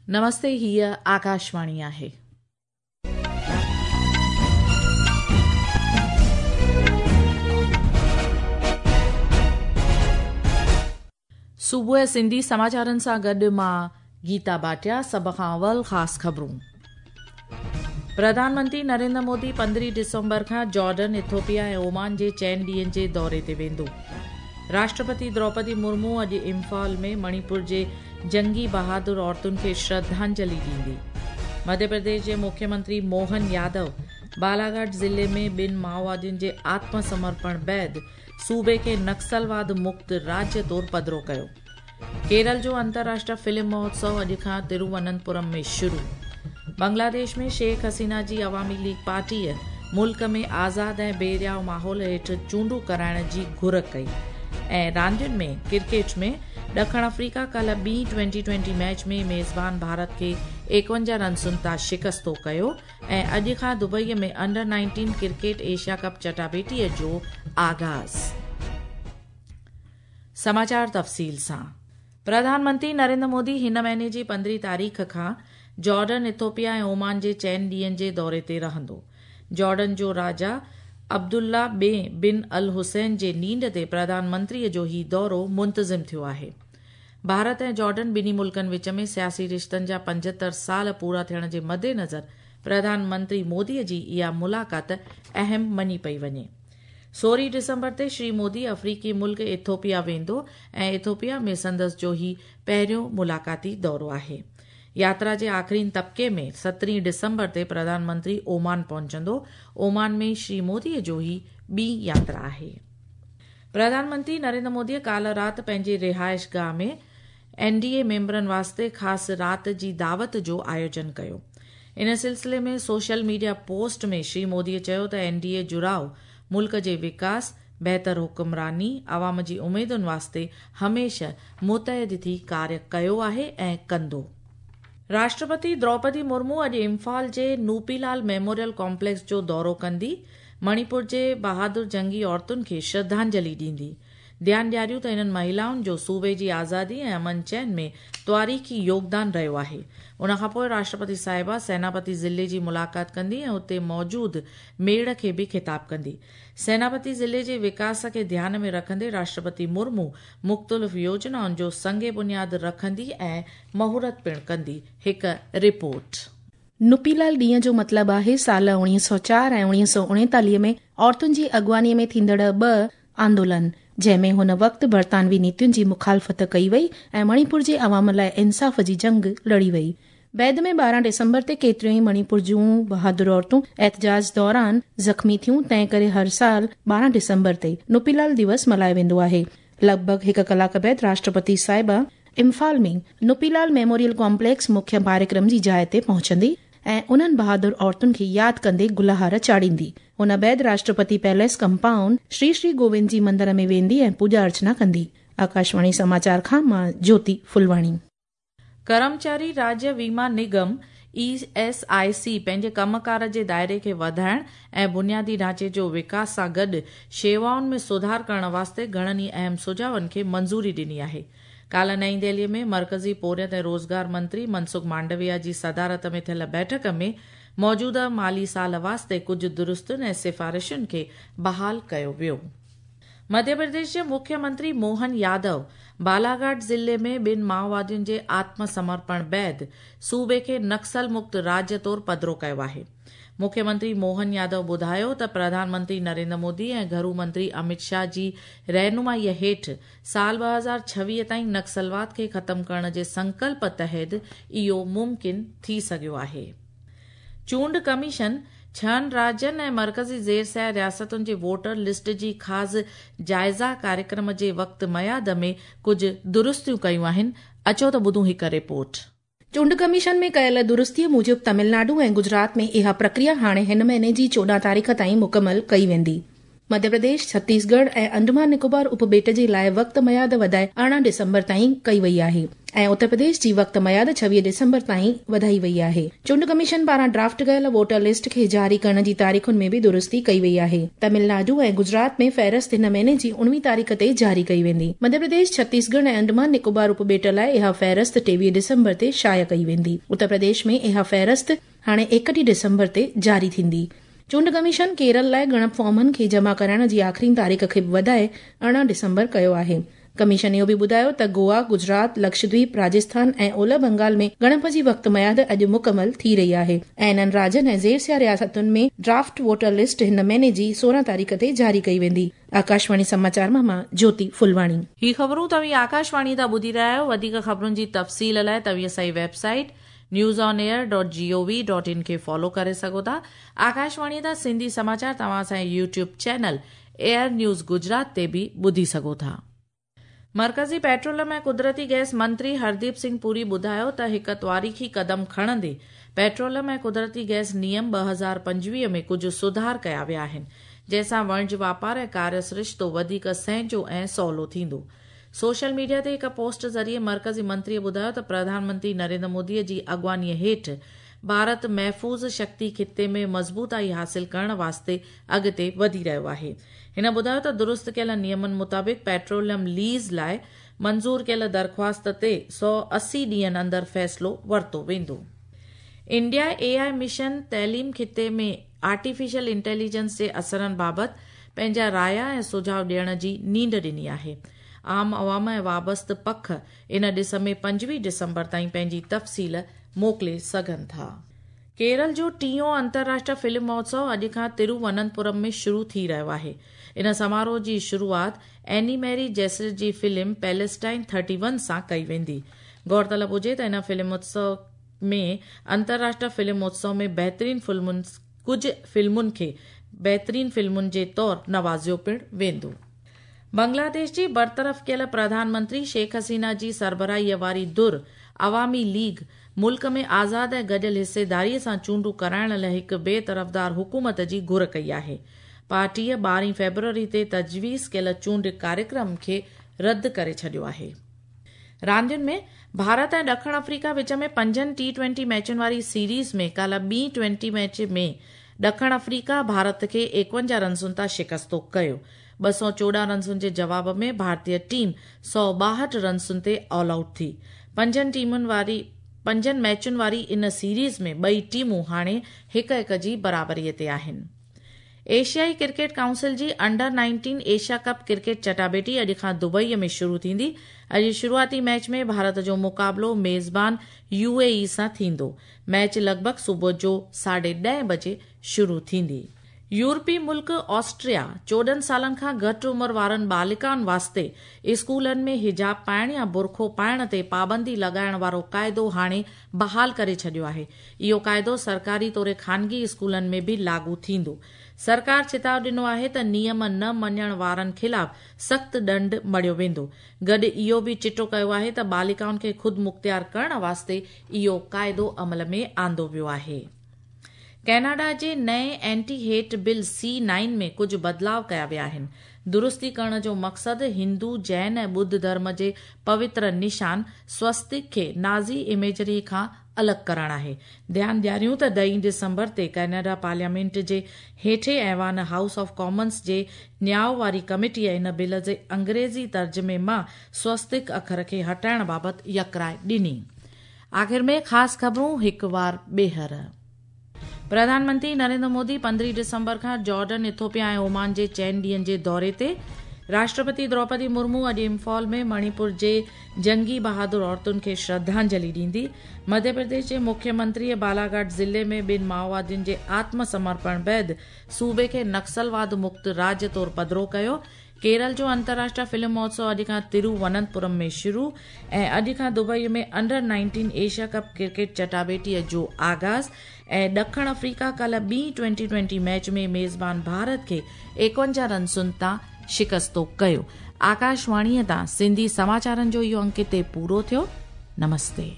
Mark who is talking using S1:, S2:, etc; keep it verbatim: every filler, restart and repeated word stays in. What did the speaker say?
S1: नमस्ते, हीअ आकाशवाणी आहे। सुबुह सिंधी समाचारनि सां गॾु मां गीता भाटिया। सभ खां अवल ख़ासि ख़बरूं। प्रधानमंत्री नरेंद्र मोदी पंद्रहीं डिसंबर खां जॉर्डन, इथोपिया ऐं ओमान जे चइनि ॾींहंनि जे दौरे ते वेंदो। राष्ट्रपति द्रौपदी मुर्मू अॼु इम्फाल में मणिपुर जे जंगी बहादुर औरतुनि खे श्रद्धांजलि ॾींदी। मध्य प्रदेश जे मुख्यमंत्री मोहन यादव बालाघाट ज़िले में ॿिनि माओवादियुनि जे आत्मसमर्पण बाद सूबे खे नक्सलवाद मुक्त राज्य तौर पधरो कयो। केरल जो अंतर्राष्ट्रीय फिल्म महोत्सव अॼु खां तिरुवनंतपुरम में शुरू। बांग्लादेश में शेख हसीना जी अवामी लीग पार्टीअ मुल्क में आज़ाद ऐं बेरियाव माहौल हेठि चूंडूं कराइण जी घुर कई। ऐं रांदियुनि में क्रिकेट में ॾखण अफ्रीका काल्ह ॿी ट्वेंटी ट्वेंटी मैच में मेज़बान भारत खे एकवंजाह रनसुनि तां शिकस्तो कयो। ऐं अॼु खां दुबईअ में under nineteen cricket Asia cup चटाभेटीअ जो आगाज़। समाचार तफ़सील सां। प्रधानमंत्री नरेंद्र मोदी हिन महीने जी पंद्रहीं तारीख़ खां जॉर्डन, इथोपिया ऐं ओमान जे चइनि ॾींहंनि जे दौरे ते रहंदो। जॉर्डन जो राजा अब्दुल्ला ॿिए बिन अल हुसैन जे नींड ते प्रधानमंत्रीअ जो ही दौरो मुंतज़िम थियो आहे। भारत ऐं जॉर्डन ॿिन्ही मुल्कनि विच में सियासी रिश्तनि जा पंजहतरि साल पूरा थियण जे मद्देनज़र प्रधानमंत्री मोदीअ जी इहा मुलाक़ात अहम मञी पई वञे। सोरहीं डिसंबर ते श्री मोदी अफ्रीकी मुल्क इथोपिया वेंदो ऐं इथोपिया में संदसि जो ही पहिरियों मुलाक़ाती दौरो आहे। यात्रा जे आख़िरी तबके में सतरहीं डिसंबर ते प्रधानमंत्री ओमान पहुचंदो। ओमान में श्री मोदीअ जो ही ॿी यात्रा आहे। प्रधानमंत्री नरेंद्र मोदीअ काल्ह राति पंहिंजी रिहाइश गाह में एन डी ए मेंबरनि वास्ते ख़ासि राति जी दावत जो आयोजन कयो। इन सिलसिले में सोशल मीडिया पोस्ट में श्री मोदीअ चयो त एन डी ए जुड़ाव मुल्क जे विकास, बहितर हुक्मरानी, आवाम जी उमेदुनि वास्ते हमेशह मुतहद थी कार्य कयो आहे ऐं कंदो। राष्ट्रपति द्रौपदी मुर्मू अॼु इम्फाल जे नूपीलाल मेमोरियल कॉम्प्लेक्स जो दौरो कंदी। मणिपुर जे बहादुर जंगी औरतुनि खे श्रद्धांजलि ॾींदी। ध्यानु ॾियारियूं त इन्हनि महिलाउनि जो सूबे जी आज़ादी ऐं अमन चैन में तारीख़ी योगदान रहियो आहे। उन खां पोइ राष्ट्रपति साहिबा सेनापति ज़िले जी मुलाक़ात कंदी ऐं उते मौजूद मेड़ खे बि ख़िताब कंदी। सेनापति ज़िले जे विकास खे ध्यान में रखंदे राष्ट्रपति मुर्मू मुख़्तलिफ़ योजनाउनि जो संग बुनियाद रखंदी ऐं मुहूर्त पिणु कंदी। हिकु रिपोर्ट।
S2: नुपीलाल ॾींहं जो मतिलबु आहे साल उणिवीह सौ चारि ऐं उणिवीह सौ उणेतालीह में औरतुनि जी अॻुवानीअ में थींदड़ ॿ आंदोलन, जंहिं में हुन वक़्तु बर्तानवी नीतियुनि जी मुखालफ़त कई वई ऐं मणिपुर जे अवाम लाइ इंसाफ़ जी जंग लड़ी वई। बैद में ॿारहं डिसंबर ते केतिरियूं ई मणिपुर जूं बहादुर औरतूं एहतजाज दौरान ज़ख़्मी थियूं, तंहिं करे हर साल ॿारहं डिसंबर ते नुपीलाल दिवस मल्हायो वेंदो आहे। लॻभॻि हिकु कलाक बाद राष्ट्रपति साहिबा इम्फाल में नुपीलाल मेमोरियल कॉम्प्लेक्स मुख्य कार्यक्रम जी जाइ ते पहुचंदी ऐं उन्हनि बहादुर औरतुनि खे यादि कंदे गुलहार चाढ़ींदी। हुन बाद राष्ट्रपति पैलेस कंपाउंड श्री श्री गोविंद जी मंदिर में वेंदी ऐं पूजा अर्चना कंदी। आकाशवाणी समाचार खां मां ज्योति फुलवाणी।
S1: कर्मचारी राज्य वीमा निगम ई एस I सी पंहिंजे कमकार जे दायरे खे वधाइण ऐं बुनियादी ढांचे जो विकास सां गॾु शेवाउनि में सुधार करण वास्ते घणनि ई अहम सुझावनि खे मंज़ूरी ॾिनी आहे। काल्ह नई दिल्लीअ में मर्कज़ी पोरियत ऐं रोज़गार मंत्री मनसुख मांडविया जी सदारत में थियल बैठक में मौजूदा माली साल वास्ते कुझु दुरुस्तुनि ऐं सिफारिशुनि खे बहाल कयो वियो। मध्य प्रदेश जे मुख्यमंत्री मोहन यादव बालाघाट ज़िले में ॿिनि माओवादियुनि जे आत्मसमर्पण बाद सूबे खे नक्सल मुक्त राज्य तौर पधरो कयो आहे। मुख्यमंत्री मोहन यादव ॿुधायो त प्रधानमंत्री नरेंद्र मोदी ऐं घरू मंत्री अमित शाह जी रहनुमाईअ हेठि साल ॿ हज़ार छवीह ताईं नक्सलवाद खे ख़तम करण जे संकल्प तहत इहो मुमकिन थी सघियो आहे। चूंड कमीशन छहनि राज्यनि ऐं मर्कज़ी ज़ेर साया रियासतुनि जे वोटर लिस्ट जी ख़ासि जाइज़ा कार्यक्रम जे वक़्त मयाद में कुझु दुरुस्तियूं कयूं आहिनि। अचो त ॿुधूं हिकु रिपोर्ट।
S2: चूंड कमीशन में कयल दुरुस्तीअ मूजिबि तमिलनाडु ऐं गुजरात में इहा प्रक्रिया हाणे हिन महीने जी चोॾहं तारीख़ ताईं मुकमल कई वेंदी। مڌيه پرديش، ڇتيسڳڙهه ۽ انڊمان نڪوبار اپٻيٽ جي لاءِ وقت ميعاد وڌائي ارڙهن ڊسمبر تائين ڪئي وئي آهي ۽ اتر پرديش جي وقت ميعاد ڇويهه ڊسمبر تائين وڌائي وئي آهي. چونڊ ڪميشن پاران ڊرافٽ ڪيل ووٽر لسٽ کي جاري ڪرڻ جي تاريخن ۾ به درستي ڪئي وئي آهي. تامل ناڊو ۽ گجرات ۾ فهرست هن مهيني جي اڻويهه تاريخ تي جاري ڪئي ويندي. مڌيه پرديش، ڇتيسڳڙهه ۽ انڊمان نڪوبار اپٻيٽ لاءِ اها فهرست ٽيويهه ڊسمبر تي شايع ڪئي ويندي. اتر پرديش ۾ اها فهرست هاڻي ايڪٽيهه ڊسمبر تي جاري ٿيندي. چونڊ ڪميشن ڪيرل لاءِ ڳڻپ فارمن کي جمع ڪرائڻ جي آخري تاريخ کي به وڌائي ارڙهن ڊسمبر ڪيو آهي. ڪميشن اهو به ٻڌايو ته گوا، گجرات، لڪشدويپ، راجسٿان ۽ اولهه بنگال ۾ ڳڻپ جي وقت ميعاد اڄ مڪمل ٿي رهي آهي ۽ انهن راجين ۽ زير رياستن ۾ ڊرافٽ ووٽر لسٽ هن مهيني جي سورهن تاريخ تي جاري ڪئي ويندي. آڪاشواڻي سماچار مان مان جيوتي ڦلواڻي.
S1: هي خبرون توهين آڪاشواڻي تان ٻڌي رهيا آهيو. وڌيڪ خبرن جي تفصيل لاءِ توهين اسان جي website news on air dot G O V dot in کي فالو ڪري سگهو ٿا. آڪاشواڻي تان سنڌي سماچار توهان اسان جي YouTube channel air news Gujarat تي به ٻڌي سگهو ٿا. مرڪزي پيٽروليم ۽ قدرتي گئس منتري هرديپ سنگهه پوري ٻڌايو ته هڪ تواريخي قدم کڻندي پيٽروليم ۽ قدرتي گئس نيم ٻه هزار پنجويهه ۾ ڪجهه سڌار ڪيا ويا آهن، جنهن سان وڻج واپار ۽ ڪاريه سرشتو وڌيڪ سهنجو ۽ سولو ٿيندو. سوشل ميڊيا تي هڪ پوسٽ ذريعي مرڪزي منتريءَ ٻڌايو ته پرڌان منتري نريندر موديءَ جي اڳواڻيءَ هيٺ ڀارت محفوظ شڪتي خطي ۾ مضبوطائي حاصل ڪرڻ واسطي اڳتي وڌي رهيو آهي. هن ٻڌايو ته درست ڪيل نيمن مطابق پيٽروليم ليز لاءِ منظور ڪيل درخواست تي سؤ اسي ڏينهن اندر فيصلو ورتو ويندو. انڊيا اي I mission تعليم خطي ۾ آرٽيفيشل انٽيليجنس جي اثرن بابت پنهنجا رايا ۽ سجهاءُ ڏيڻ جي نينڍ ڏني آهي. عام عوام ۽ وابسته پک ان ڏس ۾ پنجويهه ڊسمبر تائين پنهنجي تفصيل موڪلي سگهن ٿا. ڪيرل جو ٽيون انترراشٽريه فلم مهوتسو اڄ کان ترووننتپورم ۾ شروع ٿي رهيو آهي. ان سماروهه جي شروعات ايني ميري جيسر جي فلم پيلسٽائن ٿرٽي ون سان ڪئي ويندي. غور طلب هجي ته ان فلم اتسو ۾ انترراشٽريه فلم اتسو ۾ بهترين فلمن ڪجهه فلمن کي بهترين فلمن جي طور نوازيو پڻ ويندو. بنگلاديش جي برطرف ڪيل پرڌان منتري شيخ حسينه جي سربراهيءَ واري ڌر عوامي ليگ ملڪ ۾ آزاد ۽ گڏيل حصيداريءَ سان چونڊون ڪرائڻ لاءِ هڪ بي طرفدار حڪومت جي گهر ڪئي آهي. پارٽيءَ ٻارهين فيبروري تي تجويز ڪيل چونڊ ڪاريڪرم کي رد ڪري ڇڏيو آهي. راندين ۾ ڀارت ۽ ڏکڻ آفريڪا وچ ۾ پنجن ٽي ٽوئنٽي ميچن واري سيريز ۾ ڪالهه ٻي ٽوئنٽي ميچ ۾ ڏکڻ آفريڪا ڀارت کي ايڪونجاهه رنسن تان شڪستو ڪيو. ٻه سؤ چوڏهن رنسن جي جواب ۾ ڀارتيه ٽيم سؤ ٻاهٺ رنسن تي آل آئوٽ ٿي. پنجن ٽيمن واري پنجن ميچن واري ان سيريز ۾ ٻئي ٽيمون هاڻي هڪ هڪ جي برابريءَ تي آهن. ايشيائي ڪرڪيٽ ڪائونسل جي under nineteen Asia cup cricket چٽاڀيٽي اڄ کان دبئيءَ ۾ شروع ٿيندي. اڄ شروعاتي ميچ ۾ ڀارت جو مقابلو ميزبان يو اي اي سان ٿيندو. ميچ لڳ ڀڳ صبح جو ساڍي ڏهه بجي شروع ٿيندي. يورپي ملڪ آسٽريا چوڏهن سالن کان گهٽ عمر وارن بالڪائن واسطي اسڪولن ۾ حجاب پائڻ يا برقعو پائڻ تي پابندي لڳائڻ وارو قاعدو هاڻي بحال ڪري ڇڏيو آهي. اهو قاعدو سرڪاري طور خانگي اسڪولن ۾ به لاڳو ٿيندو. سرڪار چتاءُ ڏنو آهي ته نيم نه مڃڻ وارن خلاف سخت ڏنڊ مڙهيو ويندو. گڏ اهو به چٽو ڪيو آهي ته بالڪائن کي خود مختيار ڪرڻ واسطي اهو قاعدو عمل ۾ آندو ويو آهي. ڪينيڊا جي نئين anti hate bill C nine ۾ ڪجهه بدلاءُ ڪيا ويا آهن. درستي ڪرڻ جو مقصد هندو، جين ۽ ٻڌ ڌرم جي پوتر نشان سوستڪ کي نازي اميجري کان الڳ ڪرڻ آهي. ڌيان ڏياريون ته ڏهين ڊسمبر تي ڪينيڊا پارليامينٽ جي هيٺين ايوان هائوس آف ڪامنس جي نياءُ واري ڪميٽيءَ ان بل جي انگريزي ترجمي مان سوستڪ اکر کي هٽائڻ بابت يڪراءِ ڏني. آخر ۾ خاص خبرون هڪ وار ٻيهر. پرڌان منتري نريندر مودي پندرهين ڊسمبر کان جارڊن، ايٿوپيا ۽ اومان جي چئن ڏينهن جي دوري تي. راشٽرپتي دروپدي مرمو اڄ امفال ۾ مڻيپور جي جنگي بهادر عورتن کي شرڌانجلي ڏيندي. مڌيه پرديش جي مکيه منتريءَ بالاگهاٽ ضلعي ۾ ٻن مائووادين جي آتم سمرپڻ بعد صوبي کي نڪسلواد مڪت راجيه طور پڌرو ڪيو. ڪيرل جو انترراشٽريه فلم مهوتسو اڄ کان ترووننتپورم ۾ شروع ۽ اڄ کان Dubai ۾ under nineteen Asia cup cricket چٽاڀيٽيءَ جو آغاز. ۽ ڏکڻ آفريڪا ڪالهه ٻي ٽوئنٽي ٽوئنٽي ميچ ۾ ميزبان ڀارت کي ايڪونجاهه رنسن تان شڪستو ڪيو. آڪاشواڻيءَ تان سنڌي سماچارن جو اهو انڪ هتي پورو ٿيو. نمستي.